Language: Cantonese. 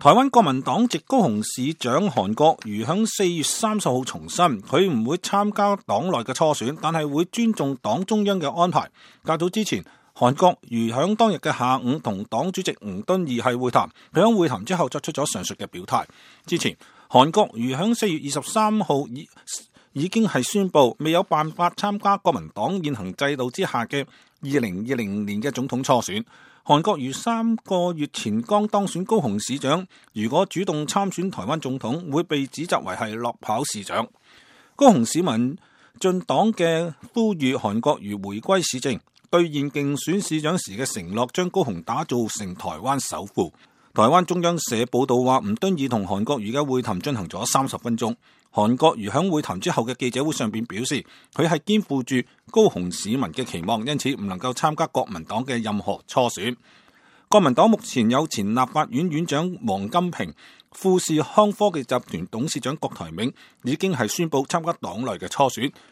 台灣國民黨籍高雄市長韓國瑜響4月30號重申，佢唔會參加黨內嘅初選，但係會尊重黨中央嘅安排。較早之前，韓國瑜響當日嘅下午同黨主席吳敦義係會談，佢響會談之後作出咗上述嘅表態。之前，韓國瑜響4月23號已經係宣布未有辦法參加國民黨現行制度之下嘅2020年嘅總統初選。韓國瑜3個月前剛當選高雄市長，如果主動參選台灣總統，會被指責為係落跑市長。高雄市民進黨嘅呼籲韓國瑜回歸市政，兌現競選市長時嘅承諾，將高雄打造成台灣首富。台灣中央社報道話，吳敦義同韓國瑜嘅會談進行咗30分鐘。韓國瑜喺會談之後嘅記者會上邊表示，佢係肩負住高雄市民嘅期望，因此唔能夠參加國民黨嘅任何初選。國民黨目前有前立法院院長王金平、富士康科技集團董事長郭台銘已經係宣布參加黨內嘅初選。